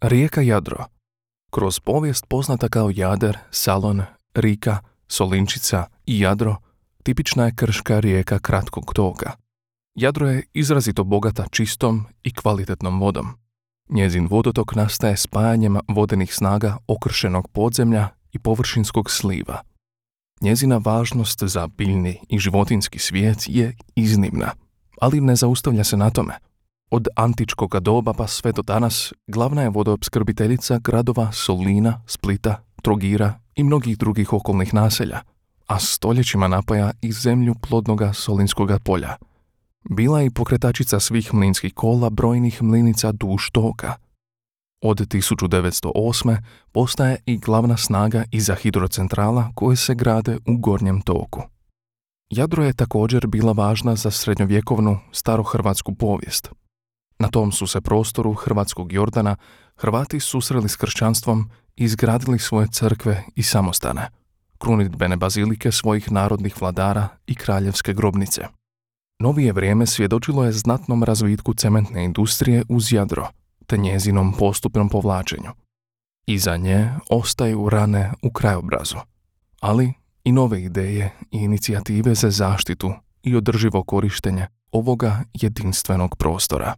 Rijeka Jadro. Kroz povijest poznata kao Jader, Salon, Rika, Solinčica i Jadro, tipična je krška rijeka kratkog toka. Jadro je izrazito bogata čistom i kvalitetnom vodom. Njezin vodotok nastaje spajanjem vodenih snaga okršenog podzemlja i površinskog sliva. Njezina važnost za biljni i životinjski svijet je iznimna, ali ne zaustavlja se na tome. Od antičkog doba pa sve do danas glavna je vodoopskrbiteljica gradova Solina, Splita, Trogira i mnogih drugih okolnih naselja, a stoljećima napaja i zemlju plodnoga Solinskoga polja. Bila je i pokretačica svih mlinskih kola brojnih mlinica duž toka. Od 1908. postaje i glavna snaga iza hidrocentrala koje se grade u gornjem toku. Jadro je također bila važna za srednjovjekovnu starohrvatsku povijest. Na tom su se prostoru hrvatskog Jordana Hrvati susreli s kršćanstvom i izgradili svoje crkve i samostane, krunidbene bazilike svojih narodnih vladara i kraljevske grobnice. Novije vrijeme svjedočilo je znatnom razvitku cementne industrije uz Jadro, te njezinom postupnom povlačenju. Iza nje ostaju rane u krajobrazu, ali i nove ideje i inicijative za zaštitu i održivo korištenje ovoga jedinstvenog prostora.